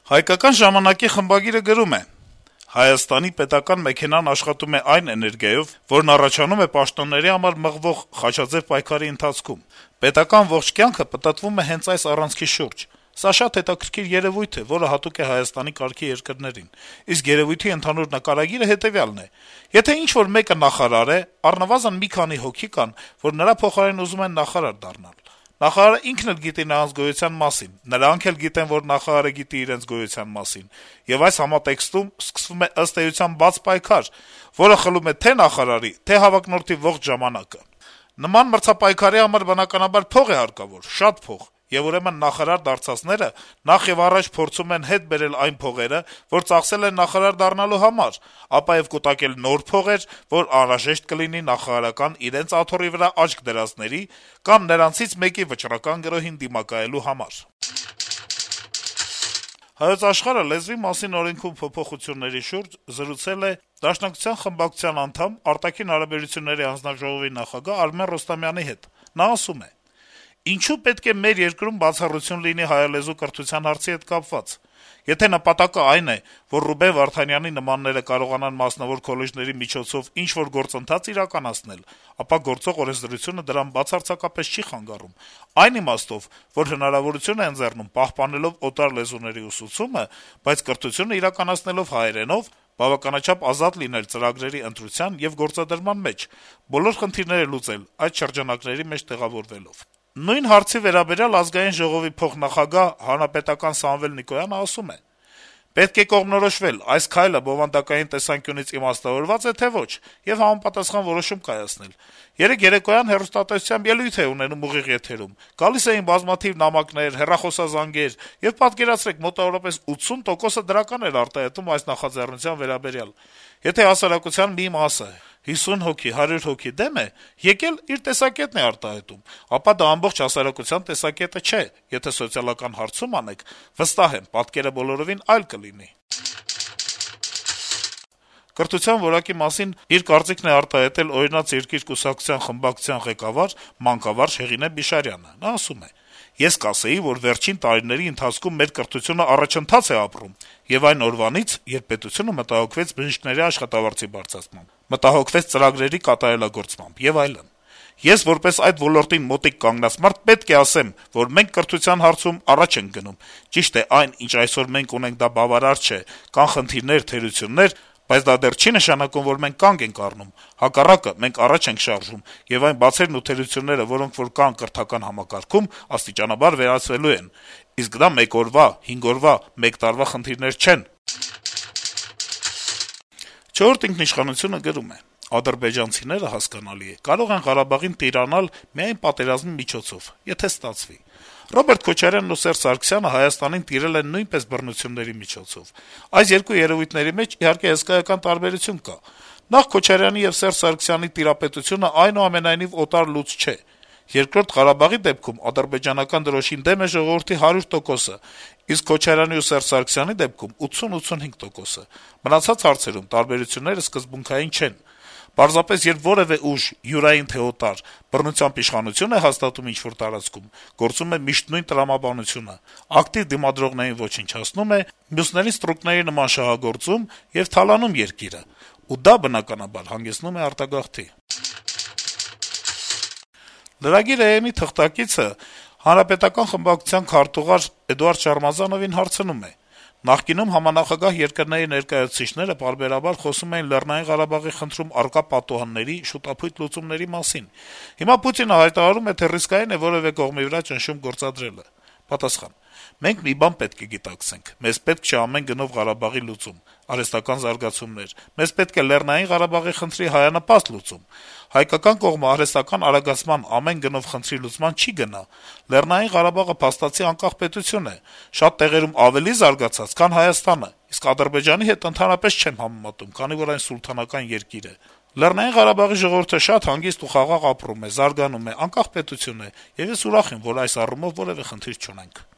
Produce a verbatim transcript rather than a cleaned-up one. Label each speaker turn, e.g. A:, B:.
A: Հայկական ժամանակի խմբագիրը գրում է. - «Հայաստանի պետական մեքենան աշխատում է այն էներգիայով, որն առաջանում է պաշտոնների համար մղվող խաչաձեւ պայքարի ընթացքում: Պետական ողջ կյանքը պտտվում է հենց այս առանցքի շուրջ: Սա շատ հետաքրքիր երեւույթ է, որը հատուկ է Հայաստանի կարգի երկրներին: Իսկ երեւույթի ընդհանուր նկարագիրը հետեւյալն է. եթե ինչ-որ մեկը նախարար է, առնվազն մի քանի հոգի կան, որ նրա փոխարեն ուզում են նախարար դառնալ: Նախարարը ինքն էլ գիտի նրանց գոյության մասին, նրանք էլ գիտեն, որ նախարարը գիտի իրենց գոյության մասին: Եվ այս համատեքստում սկսվում է ըստ էության բաց պայքար, որը խլում է թե նախարարի, թե հավակնորդի ողջ ժամանակը: Նման մրցապայքարի համար, բնականաբար, փող է հարկավոր, շատ փող: Եվ ուրեմն նախարար դարձածները նախեւառաջ փորձում են հետ բերել այն փողերը, որ ծախսել են նախարար դառնալու համար, ապա եւ կուտակել նոր փողեր, որ անհրաժեշտ կլինի նախարարական իրենց աթոռի վրա աչք դրածների կամ նրանցից մեկի վճռական գրոհին դիմակայելու համար»: «Հայոց Աշխարհ»-ը լեզվի մասին օրենքում փոփոխությունների շուրջ զրուցել է Դաշնակցության խմբակցության անդամ, Արտաքին հարաբերությունների հանձնաժողովի նախագահ Արմեն Ռոստոմյանի հետ: Նա ասում է. - «Ինչու պետք է մեր երկրում բացառություն լինի հայալեզու կրթության հարցի հետ կապված: Եթե նպատակը այն է, որ Ռուբեն Վարդանյանի նմանները կարողանան մասնավոր քոլեջների միջոցով ինչ-որ գործընթաց իրականացնել, ապա գործող օրենսդրությունը դրան բացարձակապես չի խանգարում: Այն իմաստով, որ հնարավորություն է ընձեռում պահպանելով օտար լեզուների ուսուցումը, բայց կրթությունը իրականացնելով հայերենով, բավականաչափ ազատ լինել ծրագրերի ընտրության եւ գործադրման մեջ, բոլոր խնդիրները լուծել այդ շրջանակների մեջ տեղավորվելով»: Նույն հարցի վերաբերյալ Ազգային ժողովի փոխնախագահ, հանրապետական Սամվել Նիկոյանը ասում է. - «Պետք է կողմնորոշվել` այս քայլը բովանդակային տեսանկյունից իմաստավորվա՞ծ է, թե ոչ, եւ համապատասխան որոշում կայացնել: Երեկ երեկոյան հեռուստատեսությամբ ելույթ էի ունենում ուղիղ եթերում: Գալիս էին բազմաթիվ նամակներ, հեռախոսազանգեր, եւ պատկերացրեք, մոտավորապես ութսուն տոկոսը դրական էր արտահայտում այս նախաձեռնության վերաբերյալ: Եթե հասարակության մի մասը, հիսուն հոգի, հարյուր հոգի դեմ է, եկել իր տեսակետն է արտահայտում, ապա դա ամբողջ հասարակության տեսակետը չէ: Եթե սոցիալական հարցում անեք, վստահ եմ, պատկերը բոլորովին այլ կլինի»: Կրթության որակի մասին իր կարծիքն է արտահայտել «Օրինաց երկիր» կուսակցության խմբակցության ղեկավար, մանկավարժ Հեղինե Բիշարյանը: Նա ասում է. - «Ես կասեի, որ վերջին տարիների ընթացքում մեր կրթությունը առաջընթաց է ապրում, եւ այն օրվանից, երբ պետությունը մտահոգվեց բժիշկների աշխատավարձի բարձրացմամբ, մտահոգվեց ծրագրերի կատարելագործմամբ եւ այլն: Ես, որպես այդ ոլորտին մոտիկ կանգնած մարդ, պետք է ասեմ, որ մենք կրթության հարցում առաջ ենք գնում: Ճիշտ է, այն, ինչ այսօր մենք ունենք, դա բավարար չէ, կան խնդիրներ, թերություններ, բայց դա դեռ չի նշանակում, որ մենք կանգ ենք առնում: Հակառակը, մենք առաջ ենք շարժում, եւ այն բացերն ու թերությունները, որոնք որ կան կրթական համակարգում, աստիճանաբար վերացվելու են: Իսկ դա մեկ օրվա, հինգ օրվա, մեկ տարվա խնդիրներ չեն»: «Չորրորդ ինքնիշխանություն»-ը գրում է. - «Ադրբեջանցիները, հասկանալի է, կարող են Ղարաբաղին տիրանալ միայն պատերազմի միջոցով, եթե ստացվի: Ռոբերտ Քոչարյանն ու Սերժ Սարգսյանը Հայաստանին տիրել են նույնպես բռնությունների միջոցով: Այս երկու երեւույթների մեջ, իհարկե, հսկայական տարբերություն կա: Նախ, Քոչարյանի եւ Սերժ Սարգսյանի տիրապետությունը այնուամենայնիվ օտար լուծ չէ: Երկրորդ, Ղարաբաղի դեպքում ադրբեջանական դրոշին դեմ է ժողովրդի հարյուր տոկոսը, իսկ Քոչարյանի ու Սերժ Սարգսյանի դեպքում ութսուն-ութսունհինգ տոկոսը: Մնացած հարցերում տարբերությունները սկզբունքային չեն: Պարզապես, երբ որեւէ ուժ, յուրային թե օտար, բռնությամբ իշխանություն է հաստատում ինչ-որ տարածքում, գործում է միշտ նույն տրամաբանությունը` ակտիվ դիմադրողներին ոչնչացնում է, մյուսներին ստրուկների նման շահագործում եւ թալանում երկիրը: Ու դա, բնականաբար, հանգեցնում է արտագաղթի»: Lragir.am-ի թղթակիցը Հանրապետական խմբակցության քարտուղար Էդուարդ Շարմազանովին հարցնում է. - «Նախկինում համանախագահ երկրների ներկայացուցիչները պարբերաբար խոսում էին Լեռնային Ղարաբաղի խնդրում առկա պատուհանների, շուտափույթ լուծումների մասին: Հիմա Պուտինը հայտարարում է, թե ռիսկային է որեւէ կողմի վրա ճնշում գործադրելը»: Պատասխան. - «Մենք մի բան պետք է գիտակցենք. մեզ պետք չէ ամեն գնով Ղարաբաղի լուծում, արհեստական զարգացումներ: Մեզ պետք է Լեռնային Ղարաբաղի խնդրի հայանպաստ լուծում: Հայկական կողմը արհեստական արագացման, ամեն գնով խնդրի լուծման չի գնա: Լեռնային Ղարաբաղը փաստացի անկախ պետություն է, շատ տեղերում ավելի զարգացած, քան Հայաստանը, իսկ Ադրբեջանի հետ ընդհանրապես չեմ համեմատում, քանի որ այն սուլթանական երկիր է: Լեռնային Ղարաբաղի ժողովուրդը շատ հանգիստ ու խաղաղ ապրում է, զարգանում է, անկախ պետություն է, եւ ես ուրախ եմ, որ այս առումով որեւէ խնդիր չունենք»: